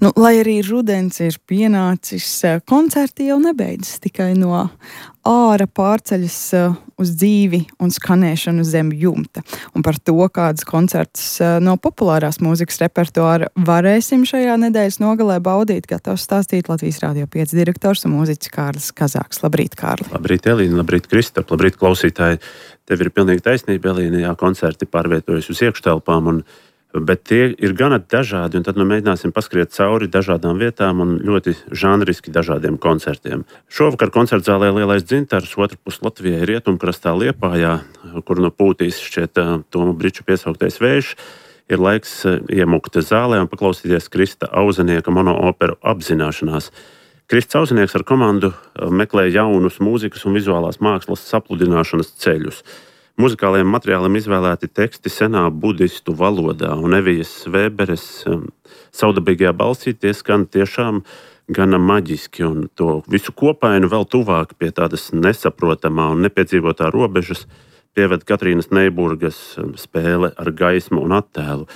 Nu, lai arī rudens ir pienācis, koncerti jau nebeidzas tikai no āra pārceļas uz dzīvi un skanēšanu zem jumta. Un par to, kādas koncertus no populārās mūzikas repertuāra varēsim šajā nedēļas nogalē baudīt, gatavs stāstīt Latvijas Rādio 5 direktors un mūziķis Kārlis Kazāks. Labrīt, Kārli! Labrīt, Elīna, labrīt, Kristap, labrīt, klausītāji! Tev ir pilnīgi taisnība, Elīna, jā, koncerti pārvietojas uz iekštelpām, bet tie ir gana dažādi, un tad mēģināsim paskriet cauri dažādām vietām un ļoti žanriski dažādiem koncertiem. Šovakar koncertzālē Lielais dzintars, otrpus Latvijai rietumkrastā Liepājā, kur no Pūtīs šķiet Toma Briča piesauktais vējš, ir laiks iemukt zālē un paklausīties Krista Auzenieka monooperu Apzināšanās. Krists Auzenieks ar komandu meklē jaunus mūzikas un vizuālās mākslas sapludināšanas ceļus. Muzikālajiem materiāliem izvēlēti teksti senā budistu valodā, un Evijas Vēberes saudabīgajā balsī tie skan tiešām gana maģiski, un to visu kopainu vēl tuvāk pie tādas nesaprotamā un nepiedzīvotā robežas pieved Katrīnas Neiburgas spēle ar gaismu un attēlu.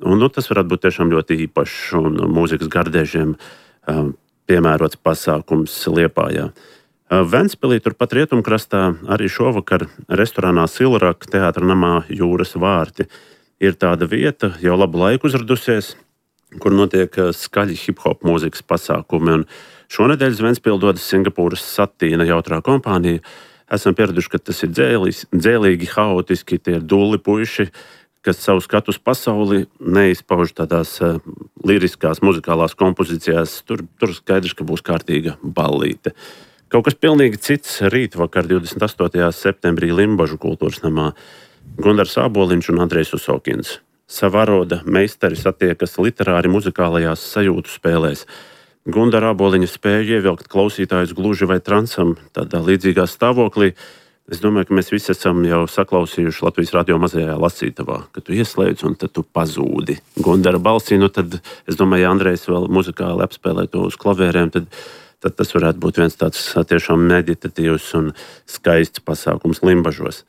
Un, tas varētu būt tiešām ļoti īpašs un mūzikas gardēžiem piemērots pasākums Liepājā. Ventspilī, turpat rietumkrastā, arī šovakar restorānā Silraka teātra namā Jūras vārti ir tāda vieta, jau labu laiku uzradusies, kur notiek skaļi hip-hop mūzikas pasākumi. Un šonedēļ uz Ventspili dodas Singapūras Satīna jautrā kompānija. Esam pieraduši, ka tas ir dzēlīgi, haotiski, tie ir dulli puiši, kas savu skatu uz pasauli neizpauž tādās liriskās, muzikālās kompozīcijās. Tur skaidrs, ka būs kārtīga ballīte. Kaut kas pilnīgi cits rītvakar 28. septembrī Limbažu kultūras namā. Gundars Āboliņš un Andrejs Usokins. Savāroda meistari satiekas literāri muzikālajās sajūtu spēlēs. Gundara Āboliņa spēja ievilkt klausītājus gluži vai transam tādā līdzīgā stāvoklī. Es domāju, ka mēs visi esam jau saklausījuši Latvijas radio mazajā lasītavā, ka tu ieslēdz un tad tu pazūdi Gundara balsī. Tad es domāju, ja Andrejs vēl muzikāli apspēlē to uz klavierēm, tad tas varētu būt viens tāds tiešām meditatīvs un skaists pasākums Limbažos.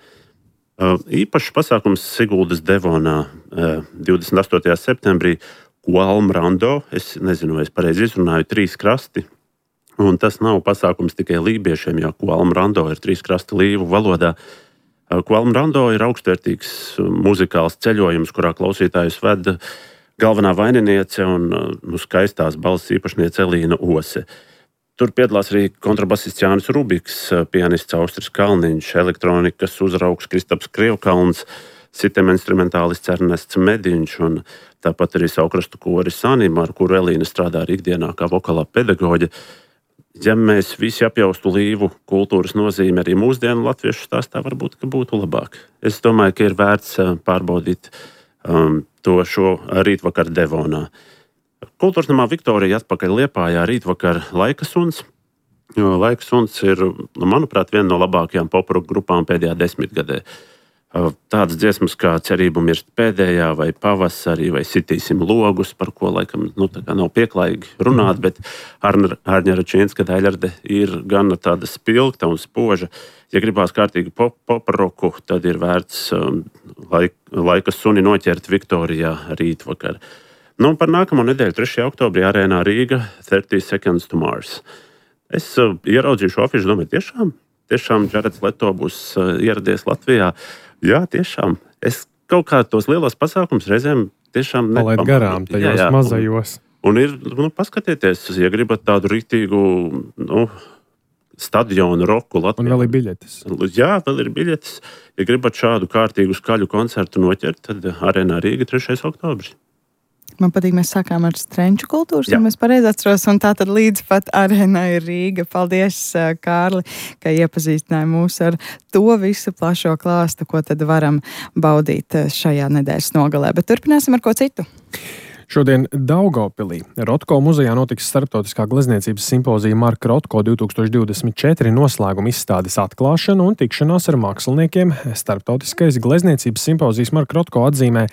Īpašs pasākums Siguldas Devonā 28. septembrī Kualm Rando. Es nezinu, vai es pareizi izrunāju, 3 krasti. Un tas nav pasākums tikai lībiešiem, jo Kualm Rando ir 3 krasti līvu valodā. Kualm Rando ir augstvērtīgs muzikāls ceļojums, kurā klausītājus ved galvenā vaininiece un skaistās balss īpašniece Elīna Ose. Tur piedalās arī kontrabasists Jānis Rubiks, pianists Austris Kalniņš, elektronikas uzraugs Kristaps Krievkalns, sitem instrumentālists Ernests Mediņš un tāpat arī Saukrastu koris Anima, ar kuru Elīna strādā arī ikdienā kā vokālā pedagoģe. Ja mēs visi apjaustu līvu kultūras nozīmi arī mūsdienu latviešu stāstā, varbūt, ka būtu labāk. Es domāju, ka ir vērts pārbaudīt to šo rītvakar Devonā. Kultūras namā Viktorija atpakaļ Liepājā rītvakar Laika suns. Laika suns ir, manuprāt, viena no labākajām poproka grupām pēdējā 10 gadē. Tādas dziesmas kā Cerību mirst pēdējā vai Pavasarī vai Sitīsim logus, par ko laikam nav pieklājīgi runāt, bet Ārņa Račinska daļarde ir gana tāda spilgta un spoža. Ja gribās kārtīgi poproku, tad ir vērts Laika suni noķert Viktorijā rītvakar. Par nākamo nedēļu, 3. oktobrī, arēnā Rīga 30 Seconds to Mars. Es ieraudzīju šo afišu, domāju, tiešām Džareds Leto būs ieradies Latvijā. Jā, tiešām. Es kaut kā tos lielos pasākums reizēm tiešām palaid garām tajos mazajos. Un ir, paskatieties, ja gribat tādu rītīgu, stadionu roku Latvijā. Un vēl ir biļetes. Jā, vēl ir biļetes. Ja gribat šādu kārtīgu skaļu koncertu noķert, tad arēnā Rīga 3. oktobris. Man patīk, mēs sākām ar strenču kultūras, ja mēs pareizi atceros, un tā tad līdz pat arēnā ir Rīga. Paldies, Kārli, ka iepazīstināji mūs ar to visu plašo klāstu, ko tad varam baudīt šajā nedēļas nogalē. Bet turpināsim ar ko citu. Šodien Daugavpilī Rotko muzejā notiks starptautiskā glezniecības simpozija Marka Rotko 2024 noslēguma izstādes atklāšana un tikšanās ar māksliniekiem. Starptautiskais glezniecības simpozijas Marka Rotko atzīmē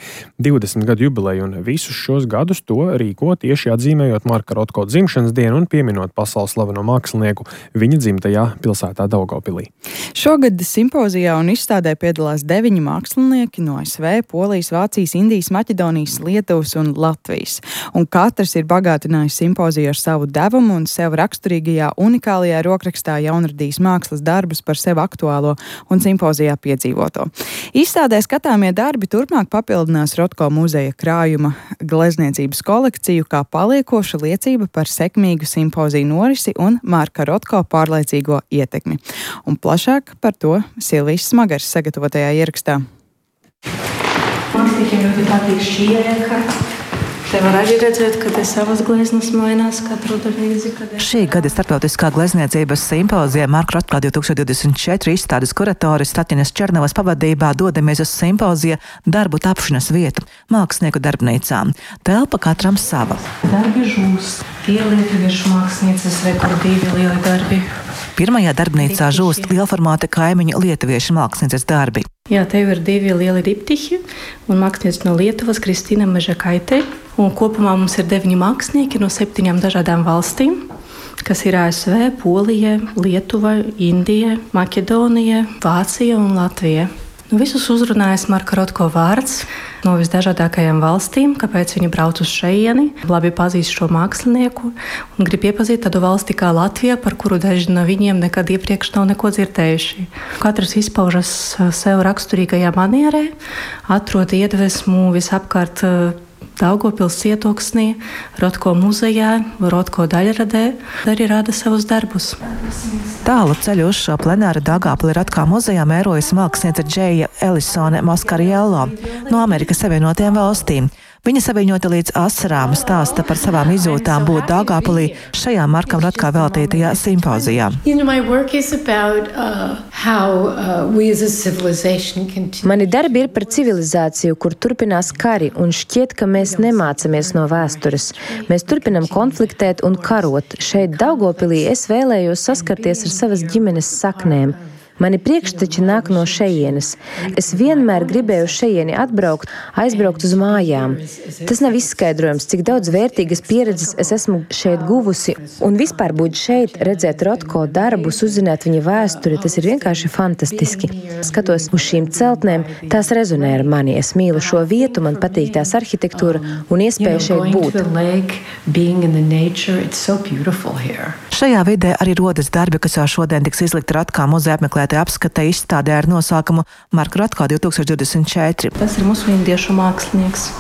20 gadu jubileju un visus šos gadus to rīko tieši atzīmējot Marka Rotko dzimšanas dienu un pieminot pasaules slaveno mākslinieku viņa dzimtajā pilsētā Daugavpilī. Šogad simpozijā un izstādē piedalās 9 mākslinieki no ASV, Polijas, Vācijas, Indijas, Maķedonijas, Lietuvas un Latvijas. Latvijas. Un katrs ir bagātinājis simpoziju ar savu devumu un sev raksturīgajā unikālajā rokrakstā jaunradījis mākslas darbus par sev aktuālo un simpozijā piedzīvoto. Izstādē skatāmie darbi turpmāk papildinās Rotko muzeja krājuma glezniecības kolekciju kā paliekoša liecība par sekmīgu simpoziju norisi un Marka Rotko pārliecīgo ietekmi. Un plašāk par to Silvijas Smagars sagatavotajā ierakstā. Māksliniekiem ļoti patīk šī ēka. Te var arī redzēt, ka te savas gleznas mainās katru reizi. Šī gada starptautiskā glezniecības simpozija Marka Rotko 2024 izstādes kuratoris Tatjanas Černovas pavadībā dodamies uz simpozija darbu tapšanas vietu mākslinieku darbnīcā. Telpa katram sava. Darbi žūst. Tie lietuviešu mākslinieces rekordīvi lieli darbi. Pirmajā darbnīcā žūst lielformāta kaimiņu lietuviešu mākslinieces darbi. Jā, te ir 2 lieli diptihi un mākslinieca no Lietuvas Kristīna Mežakaite. Un kopumā mums ir 9 mākslinieki no 7 dažādām valstīm, kas ir ASV, Polija, Lietuva, Indija, Maķedonija, Vācija un Latvija. Visus uzrunājas Marka Rotko vārds no visdažādākajām valstīm, kāpēc viņi brauc uz šejieni, labi pazīst šo mākslinieku un grib iepazīt tādu valsti kā Latvija, par kuru daži no viņiem nekad iepriekš nav neko dzirdējuši. Katrs izpaužas sev raksturīgajā manierē, atrod iedvesmu visapkārt Daugavpils cietoksnī, Rotko muzejā, Rotko daļradē, arī rāda savus darbus. Tālu ceļu uz šo plenāru Daugavpili Rotko muzejā mērojas mākslinieca Džeja Elisone Moskariello no Amerikas Savienotajām valstīm. Viņa saviņota līdz asarām stāsta par savām izjūtām būt Daugavpilī šajā Markam Rotko veltītajā simpozijā. Mani darbi ir par civilizāciju, kur turpinās kari, un šķiet, ka mēs nemācamies no vēstures. Mēs turpinam konfliktēt un karot. Šeit Daugavpilī es vēlējos saskarties ar savas ģimenes saknēm. Mani priekšteči nāk no šejienes. Es vienmēr gribēju šejieni atbraukt, aizbraukt uz mājām. Tas nav izskaidrojams, cik daudz vērtīgas pieredzes es esmu šeit guvusi. Un vispār būt šeit, redzēt Rotko darbus, uzzināt viņa vēsturi, tas ir vienkārši fantastiski. Skatos uz šīm celtnēm, tās rezonē ar mani. Es mīlu šo vietu, man patīk tās arhitektūra un iespēja šeit būt. Šajā vidē arī rodas darbi, kas jau šodien tiks izlikti Rotko muzeja apmeklētajā apskatē izstādē ar nosaukumu Marka Rotko 2024. Tas ir mūsu indiešu mākslinieks.